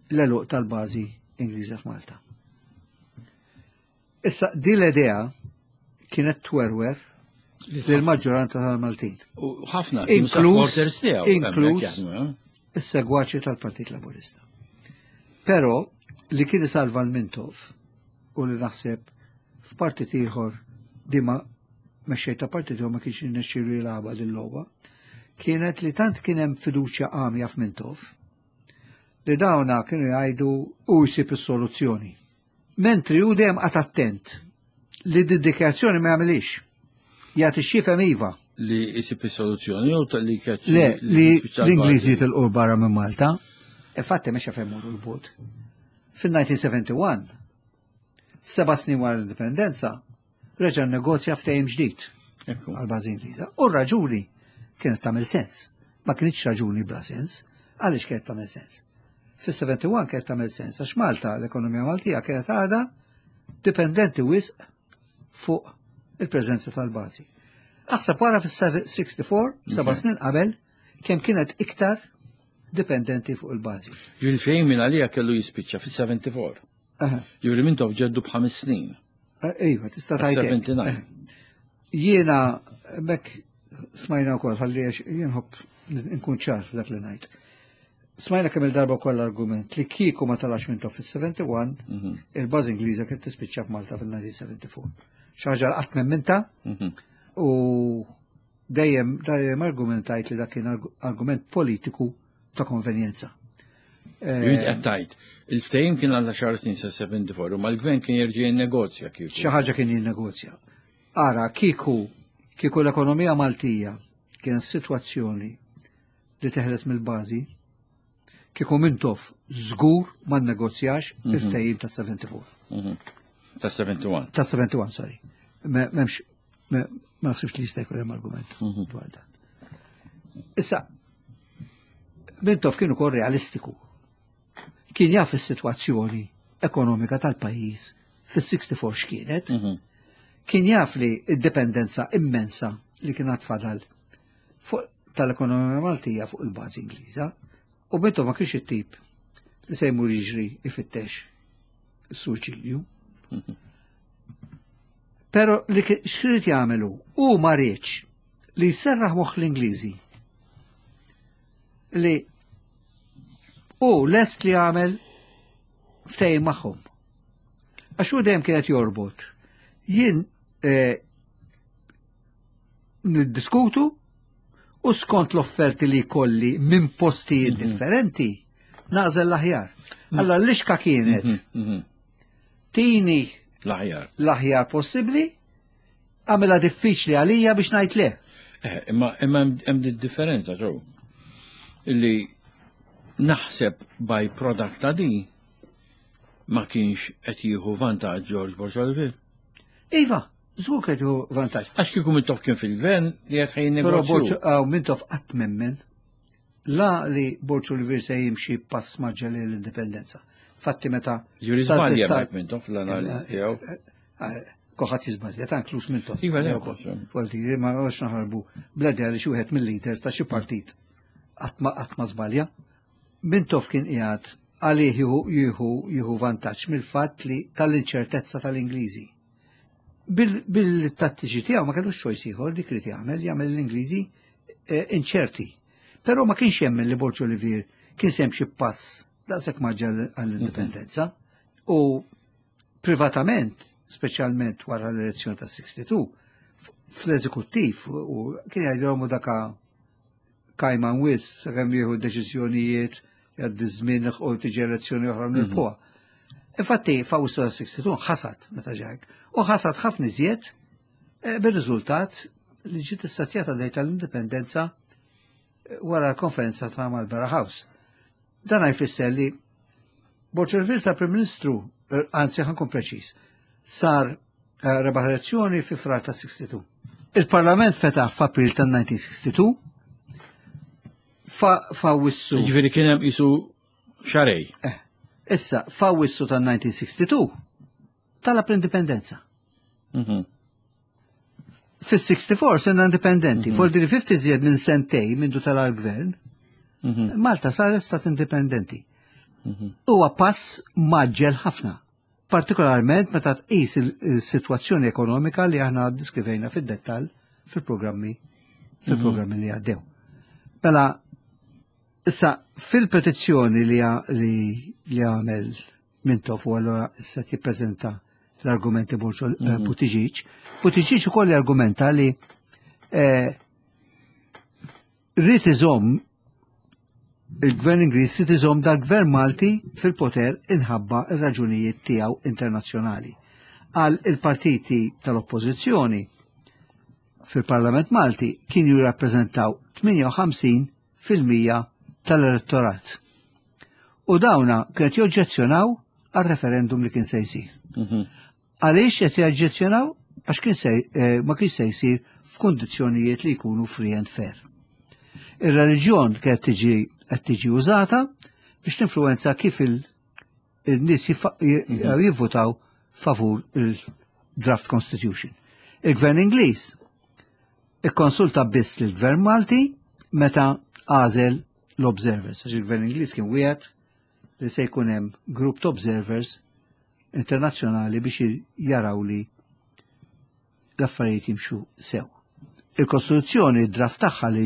l-eluq tal-bażi Ingliża f'Malta. Issa din l-idea kienet twerwer lill-maġġoranza tal-Maltin. U ħafna inkluż inkluż eh? is-segwaċi tal-Partit Laburista. Però li kien isalva l-Mintoff u li naħseb f'partit ieħor dima mexxej ta' partit ma kienx jirnexxielu jilgħabha din logħba, kienet li tant kien hemm fiduċja għamja f'Mintoff li dawna kienu jgħidu u jsib is-soluzzjoni. Mentri hu dejjem qagħad attent li d-dikjazzjoni ma jagħmilix. Jagħti x'jifhem iva. Li jsib is-soluzzjoni jew li keċ. Le, li l-Ingliżi jitilqu barra minn Malta. Infatti mexa fejn morru l-bot. Fil-1971, seba' snin wara l-indipendenza, reġa' negozja ftehim ġdid għal-bażi Ingliża. U r-raġuni kienet tagħmel sens. Ma kienx raġuni bla sens, għaliex kienet tagħmel sens. Fis-71 kienet tagħmel sens għax Malta l-ekonomija Maltija kienet għadha dipendenti wisq fuq il-preżenza tal-bażi. Aħseb wara fis-64, seba' snin qabel, kemm kienet iktar dipendenti fuq il-bażi. Ġifieri minn għalija kellu jispiċċa fis-74. Ġifieri Mintoff ġeddu b'ħames snin. Eh, iva, tista' tgħid. 79. Eh. Jiena mek smajna wkoll ħalli jien ħobb nkun ċar f'dak li ngħid. Smajna kemm il-darba wkoll argument li kieku ma talax Mintoff fis-71, mhm. il-bażi Ingliża kien tispiċċa f'Malta fil-1974. Xi ħaġa qatt minta mhm. u dejjem dejjem argumentajt li dak kien argument politiku ta' konvenjenza. Jrid qed tgħid, il-ftehim kien għal xahar snin sa 74 u mal-gvern kien jerġa' jinnegozja kieku. Xi ħaġa kien jinnegozja. Ara, kieku kieku l-ekonomija Maltija kienet sitwazzjoni li teħles mill-bażi, kieku Mintoff żgur ma nnegozjax mhm. il-ftehim ta' 74. Mhm. Ta' 71. Ta' 71, sorry. Memx, ma naħsibx li jista' jkun hemm argument mhm. dwar dan. Issa, Mintoff kien ukoll realistiku. Kien jaf is-sitwazzjoni ekonomika tal-pajjiż fis-64 x'kienet. Kien jaf li d-dipendenza immensa li kien fadal fuq tal-ekonomija Maltija fuq il-bażi Ingliża u Mintoff ma kienx it-tip li se jmur jiġri ifittex is-suċidju. Pero li xrid jagħmelu hu ma riedx li jserraħ moħħ l-Ingliżi li hu lest li jagħmel ftehim magħhom. Għax hu dejjem kienet jorbot. Jien eh, niddiskutu u skont l-offerti li kolli minn postijiet mhm. differenti naqżel l-aħjar. Allora l-ixka kienet mhm, mhm. tini l-aħjar l-aħjar possibbli għamilha diffiċli għalija biex ngħid le. Eh, imma imma hemm differenza ġew. Illi naħseb by product ta' di ma kienx qed jieħu vantaġġ George Borg Olivier. Iva, żgur qed jieħu vantaġġ. Għax kieku Mintoff kien fil-gvern li qed ħajn Però Borg ah, Mintoff qatt memmen la li Borg Olivier se jimxi pass maġġel l-indipendenza. Fatti meta. Juri żbalja Mike Mintoff l-analiżi eh, tiegħu. Eh, eh, Kulħadd jiżbalja, ta' inkluż Mintoff. Iva, le, Vuol ma għax naħarbu bl-idea li xi wieħed mill-leaders ta' xi partit qatt ma żbalja. Mintoff kien qiegħed għalih jieħu jieħu vantaġġ mill-fatt li tal-inċertezza tal-Ingliżi. Bil-tattiċi tiegħu ma kellux choice ieħor dik li jagħmel, jagħmel l-Ingliżi eh, inċerti. Però ma kienx jemmen li Borġ Olivier kien se jimxi pass daqshekk maġġel għall-indipendenza u privatament, speċjalment wara l-elezzjoni ta' 62, fl-eżekuttiv u kien jgħidilhom daka kajman wis sakemm jieħu deċiżjonijiet jgħaddi żmien u tiġi elezzjoni oħra nilpuha. Mhm. Infatti f'Awwissu ta' 62 ħasad meta ġajk u ħasad ħafna iżjed eh, bir-riżultat li ġiet istatjata dejta tal-indipendenza eh, wara l-konferenza ta' Marlborough House. Dan jfisser li Borġ sar Prim Ministru, eh, anzi ħankun preċiż, sar eh, rebaħ elezzjoni fi frar ta' 62. Il-Parlament fetaħ f'April ta' 1962 fa' wissu. Ġifieri kien hemm isu xarej. Eh, issa, fa' wissu ta' 1962 talab l-indipendenza. Mhm. Fis-64 sena indipendenti, mm -hmm. Fuq 50 zjed minn sentej mindu tal-gvern, mm -hmm. Malta saret stat indipendenti. Mm -hmm. Huwa pass maġġel ħafna, partikolarment meta tqis il-sitwazzjoni ekonomika li aħna diskrivejna fid-dettall fil-programmi fil-programmi li għaddew. Mela, issa fil-petizzjoni li li għamel Mintoff u allura issa jippreżenta l-argumenti Borġo eh, mhm. Buttigieg. Buttigieg ukoll argumenta li eh, rrid iżomm il-gvern Ingliż rrid iżomm dal-gvern Malti fil-poter inħabba ir-raġunijiet tiegħu internazzjonali. Għal il-partiti tal-oppożizzjoni fil-Parlament Malti kienu jirrappreżentaw 58 fil-mija tal-elettorat. U dawna kienet joġġezzjonaw għal referendum li kien se jsir. Mhm. Għaliex qed jaġġezzjonaw? Għax kien se eh, ma kien se jsir f'kundizzjonijiet li jkunu free and fair. Ir-reliġjon kienet tiġi qed tiġi użata biex tinfluwenza kif il-nies mhm. jivvutaw favur il-draft constitution. Il-gvern Ingliż. Ikkonsulta biss lill-Gvern Malti meta għażel l-observers, għax il-Gvern Ingliż kien wieħed li se jkun hemm grupp ta' observers internazzjonali biex jaraw li l-affarijiet jimxu sew. Il-Kostituzzjoni, id-draft tagħha li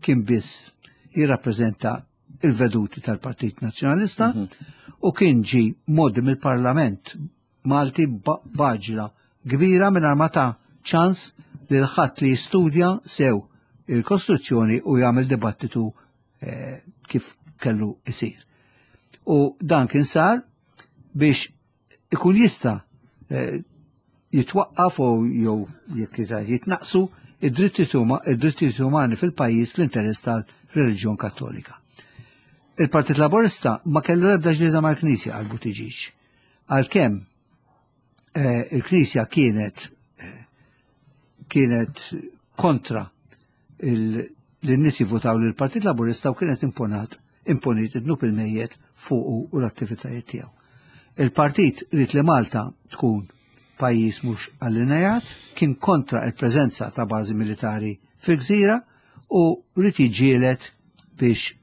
kien biss jirrappreżenta il-veduti tal-Partit Nazzjonalista u kien ġi modi mill-Parlament Malti b'għaġla kbira mingħajr ma ta ċans lil ħadd li jistudja sew il-Kostituzzjoni u jagħmel dibattitu eh, kif kellu isir. U dan kien sar biex ikun jista' eh, jitwaqqaf u jew jekk jitnaqsu id-drittijiet umani fil-pajjiż l-interess tal-reliġjon Kattolika. Il-Partit Laburista ma kellu ebda ġlieda mal-Knisja għal Buttigieg. Għalkemm eh, il-Knisja kienet eh, kienet kontra l-nies jivvotaw lill partit Laburista u kienet imponat imponit id-dnub il-mejjet fuqu u l-attivitajiet tiegħu. Il-partit ried li Malta tkun pajjiż mhux allinejat, kien kontra il-preżenza ta' bażi militari fil-gżira u ried jiġġieled biex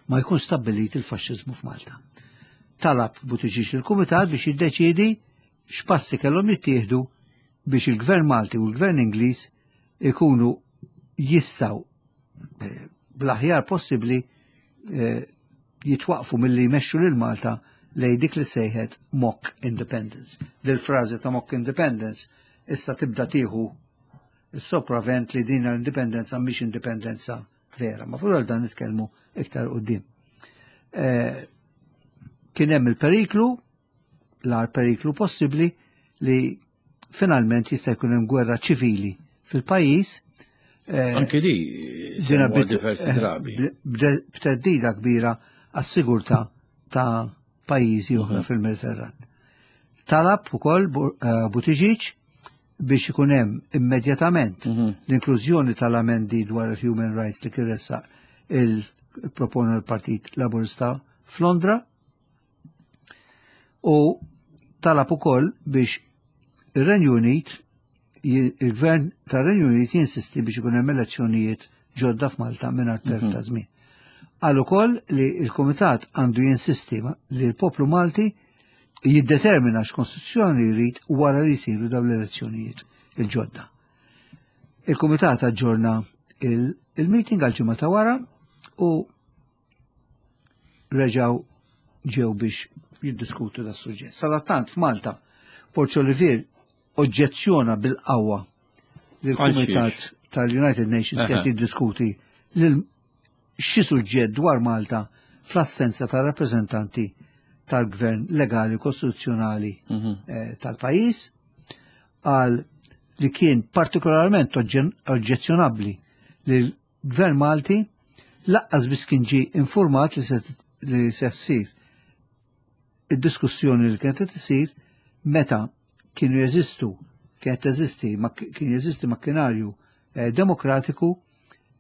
ma jkun stabbilit il-faxxiżmu f'Malta. Talab Buttigieg il-Kumitat biex jiddeċiedi x'passi kellhom jittieħdu biex il-Gvern Malti u l-Gvern Ingliż ikunu jistgħu eh, bl-aħjar possibbli eh, jitwaqfu milli jmexxu lil Malta lej dik li sejħet mock independence. Dil-frażi ta' mock independence issa tibda tieħu is-sopravent li din l-indipendenza mhix indipendenza vera. Ma fuq dan nitkellmu iktar qudiem. Eh, kien hemm il-periklu, l-ar periklu possibbli li finalment jista' jkun hemm gwerra ċivili fil-pajjiż. Eh, Anke di dina diversi eh, drabi. B'teddida kbira għas-sigurtà ta' pajjiżi oħra mhm. fil-Mediterran. Talab ukoll eh, Buttigieg biex ikun hemm immedjatament mhm. l-inklużjoni tal-amendi dwar il-human rights li kien ressaq il-proponu l-Partit Laburista f'Londra u talab ukoll biex ir-Renju Unit il-gvern tar-Renju Unit jinsisti biex ikun hemm elezzjonijiet ġodda f'Malta mingħajr telf ta' mhm. żmien. Qal ukoll li l-Kumitat għandu jinsisti li l-poplu Malti jiddetermina x'kostituzzjoni jrid wara li jsiru dawn l-elezzjonijiet il-ġodda. Il-Kumitat aġġorna il-meeting għal ġimgħa ta' wara u reġgħu ġew biex jiddiskutu da suġġett. Sadattant f'Malta, Porċ Olivier oġġezzjona bil-qawwa lill-Kumitat tal-United Nations qed jiddiskuti lil xi suġġett dwar Malta fl-assenza ta' rappreżentanti tal-gvern legali u kostituzzjonali mhm. eh, tal-pajjiż għal li kien partikolarment oġġezzjonabbli li l-gvern Malti laqqas biss kien ġie informat li se li se ssir id-diskussjoni li kienet qed isir meta kienu jeżistu kienet teżisti kien jeżisti makkinarju eh, demokratiku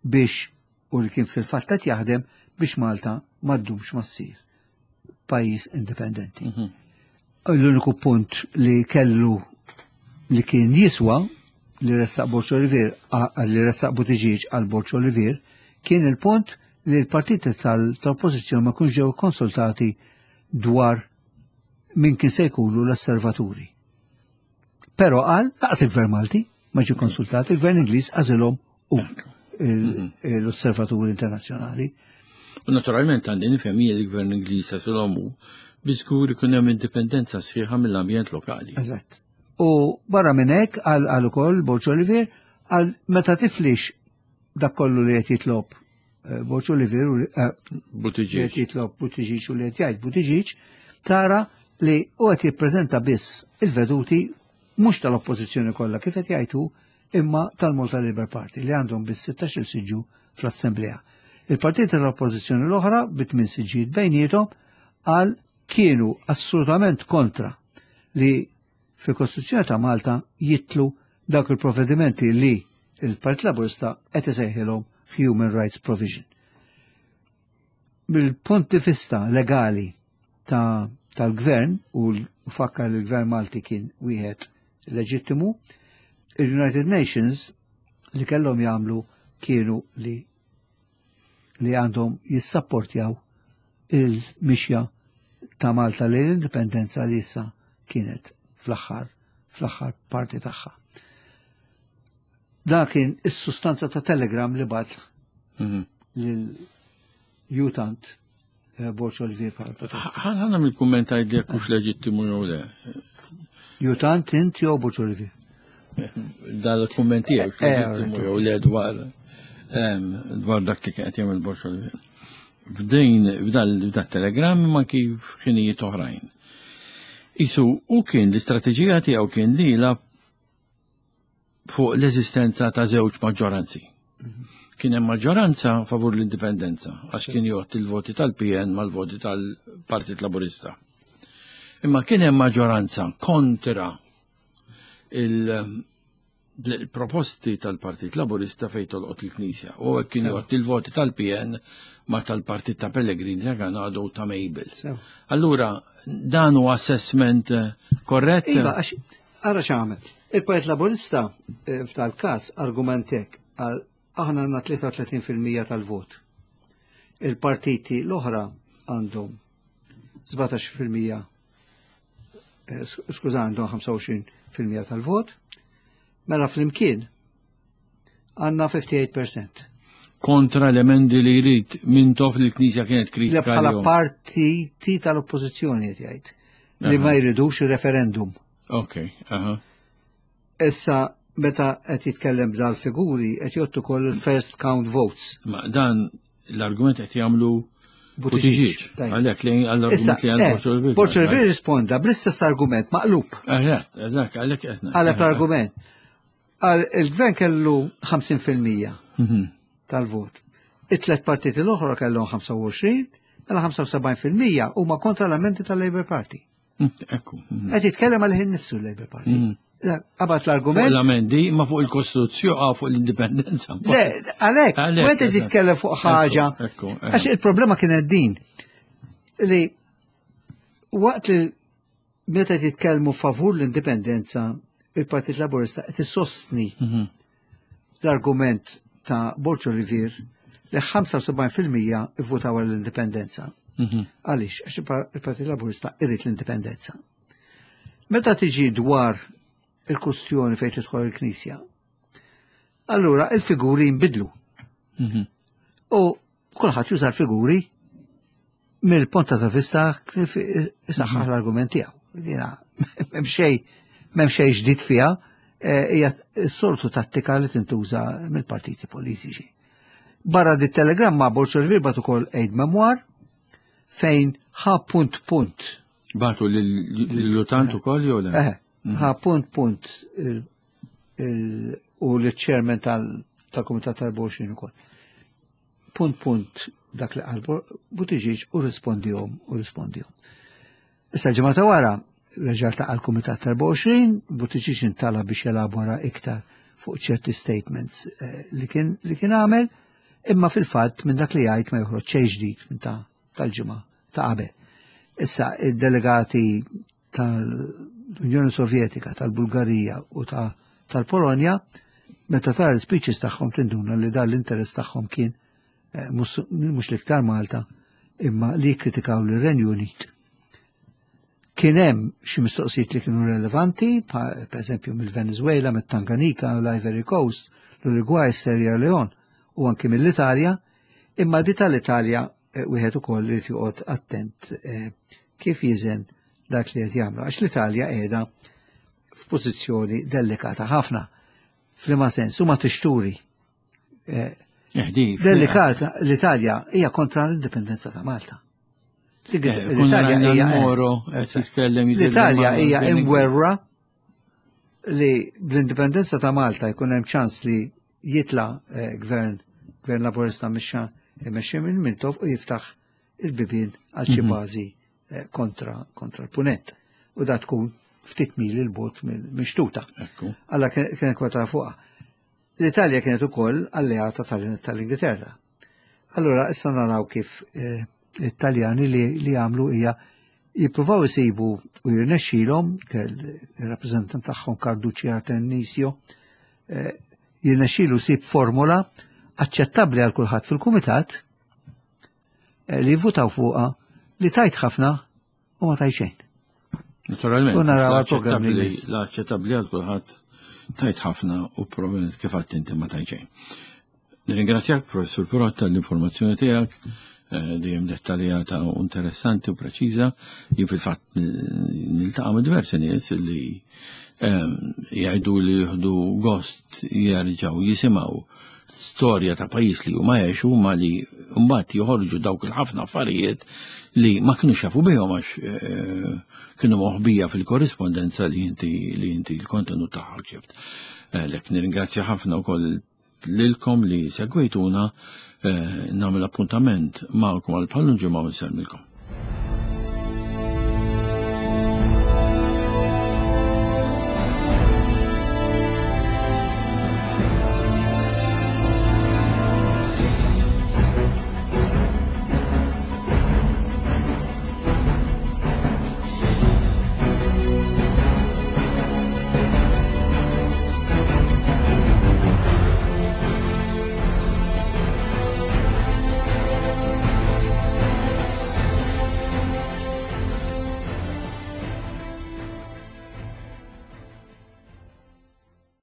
biex u li kien fil-fatt qed jaħdem biex Malta ma ddumx ma ssir pajjiż indipendenti. Mhm. L-uniku punt li kellu li kien jiswa li ressaq Borċ Olivier li ressaq Buttigieg għal Borċ Olivier kien il-punt li l-partiti tal-oppożizzjoni ma kunx ġew konsultati dwar min kien se jkunu l-osservaturi. Però qal laqas il-Gvern Malti ma ġie konsultat, il-Gvern Ingliż għażilhom u mhm. l-osservaturi internazzjonali. U naturalment għandi nifhem jien il-Gvern Ingliż għażilhom u biżgur ikun hemm indipendenza sħiħa mill-ambjent lokali. Eżatt. U barra minn hekk għal għal ukoll Borġ Olivier għal meta tiflix dak kollu li qed jitlob eh, Borġ Olivier u eh, Buttigieg. qed jitlob Buttigieg u li qed jgħid Buttigieg tara li u qed jippreżenta biss il-veduti mhux tal-oppożizzjoni kollha kif qed jgħidu imma tal-Malta Labour Party li għandhom biss 16 siġġu fl-Assemblea. Il-partiti tal-oppożizzjoni l-oħra bi tmien siġġijiet bejniethom għal kienu assolutament kontra li fil-Kostituzzjoni ta' Malta jitlu dawk il-provvedimenti li il-Partit Laburista qed isejħilhom Human Rights Provision. Mill-punt di vista legali ta' tal-gvern u fakkar li l-gvern Malti kien wieħed leġittimu, il-United Nations li kellhom jagħmlu kienu li li għandhom jissapportjaw il-mixja ta' Malta lejn l-indipendenza li issa kienet fl-aħħar fl-aħħar parti tagħha. Da kien is-sustanza ta' telegram li bat lil jutant eh, Borċ Olivier bħala protesta. Ħana mill-kumment għajd jekk hux leġittimu jew le. Jutant int jew Borċ Olivier? Dal-kumment tiegħek eh, leġittimu jew le dwar dwar dak li kien qed jagħmel Borċ Olivier. F'din f'dal telegram ma kif ħinijiet oħrajn. Isu u kien l-istrateġija tiegħu kien li la fuq l-eżistenza ta' żewġ maġġoranzi. Kien hemm maġġoranza favur l-indipendenza għax kien jgħodd il-voti tal-PN mal-voti tal-Partit Laburista. Imma kien hemm maġġoranza kontra il-proposti tal-Partit Laburista fejn tolqot il-Knisja. U hekk kien jgħodd il-voti tal-PN ma tal-Partit ta' Pellegrini ta' Ganado u ta' Mabel. Allura dan huwa assessment korrett? Iva, għax ara x'għamel. Il-Partit Laburista eh, f'tal-każ argumentek għal aħna għandna 33% tal-vot. Il-partiti l-oħra għandhom 17% eh, skuża għandhom 25% tal-vot. Mela flimkien għandna 58%. Kontra l-emendi li jrid Mintoff li l-Knisja kienet kritika. Li bħala partiti tal-oppożizzjoni qed jgħid li ma jridux il-referendum. Ok, aha. Issa meta qed jitkellem b'dal-figuri qed jgħottu ukoll il-first count votes. Ma dan l-argument qed jagħmlu Buttigieg. Għalhekk li għall-argument li għandu eh, Borġ Olivier risponda bl-istess argument maqlub. Eżatt, eżatt, għalhekk qed. Għalhekk l-argument. Il-gvern kellu 50% mhm. tal-vot. It-tlet partiti l-oħra kellhom 25, mela 75% huma kontra l-amendi tal-Labour Party. Mm, ekku. Mm. Qed jitkellem għal ħin nifsu l-Labour Party. Mm. Qabat l-argument. L-amendi ma fuq il-Kostituzzjoni ah, fuq l-indipendenza. Le, għalhekk, meta titkellem fuq ħaġa. Għax il-problema kienet din li waqt li meta jitkellmu favur l-indipendenza, il-Partit Laburista qed isostni mhm. l-argument ta' Borġ Olivier li 75% ivvutaw għall-indipendenza. Mhm. Għaliex, għax il-Partit Laburista irrid l-indipendenza. Meta tiġi dwar il-kustjoni fejn tidħol il-Knisja, allura il-figuri jinbidlu. Mhm. U kulħadd juża l-figuri mill-ponta ta' vista kif isaħħaħ mhm. l-argument tiegħu. Jiena m'hemm xejn m'hemm xejn ġdid fiha, eh, hija s-soltu tattika li tintuża mill-partiti politiċi. Barra di telegramma Borċ Olivier bat ukoll aid memoir fejn ħa punt punt. Batu l-lutant ukoll jew le? Eh, mhm. ħa punt punt u l-chairman tal-Kumitat tal-24 ukoll. Punt punt dak li qal Buttigieg u rispondihom u rispondihom. Issa ġimgħa ta' wara reġa' ltaqa' l-Kumitat tal-24, Buttigieg intala biex jelabora iktar fuq ċerti statements eh, li kien li kien għamel, imma fil-fatt minn dak li jgħid ma joħroġ xejn ġdid minn ta' tal-ġimgħa ta' qabel. Issa id-delegati tal-Unjoni Sovjetika, tal-Bulgarija u tal-Polonja, meta tara l-speeches tagħhom tinduna li dan l-interess tagħhom kien eh, mhux l-iktar Malta imma li jikkritikaw lir-Renju Unit. Kien hemm xi mistoqsijiet li kienu relevanti, per eżempju mill-Venezuela, mit-Tanganika, l-Ivory Coast, l-Uruguay, Sierra Leone u anki mill-Italja, imma di tal-Italja eh, wieħed ukoll irid joqgħod attent eh, kif jiżen dak li qed jagħmlu għax l-Italja qiegħda f'pożizzjoni delikata ħafna. F'liema sens huma tixturi. Eh, delikata l-Italja hija kontra l-indipendenza ta' Malta. L-Italja hija L-Italja hija imwerra li bl-indipendenza ta' Malta jkun hemm ċans li jitla eh, gvern gvern laburista mixxa imexxi minn Mintoff u jiftaħ il-bibien għal xi mhm. bażi eh, kontra kontra l-punent. U da tkun ftit mil il-bot minn xtuta. Alla kien kwota fuqha. L-Italja kienet ukoll alleata tal-Ingilterra. Allura issa naraw kif eh, it-Taljani li għamlu hija jippruvaw isibu u jirnexxilhom il-rappreżentant tagħhom Carducci Artemisio eh, Jirnexxielu jsib formula aċċettabbli għal kulħadd fil-kumitat eh, li jivvutaw fuqha li tajt ħafna u ma tajt xejn. Naturalment. U naraw għal-programm li jmiss. L-aċċettabbli għal kulħadd tajt ħafna u probabbilment kif għadt inti ma tajt xejn. Nirringrazzjak Professur Pirotta l-informazzjoni tiegħek eh, dejjem dettaljata u interessanti u preċiża. Jien fil-fatt niltaqa' ma' diversi nies li eh, jgħidu li jieħdu gost jerġgħu jisimgħu storja ta' pajjiż li huma għexu ma li mbagħad joħorġu dawk il-ħafna affarijiet li ma kinux jafu bihom għax eh, kienu moħbija fil-korrispondenza li inti li inti l-kontenut tagħha ġibt. Eh, lek nirringrazzja ħafna wkoll lilkom li segwejtuna eh, nagħmel appuntament magħkom għal bħal ġimgħa u nsellmilkom.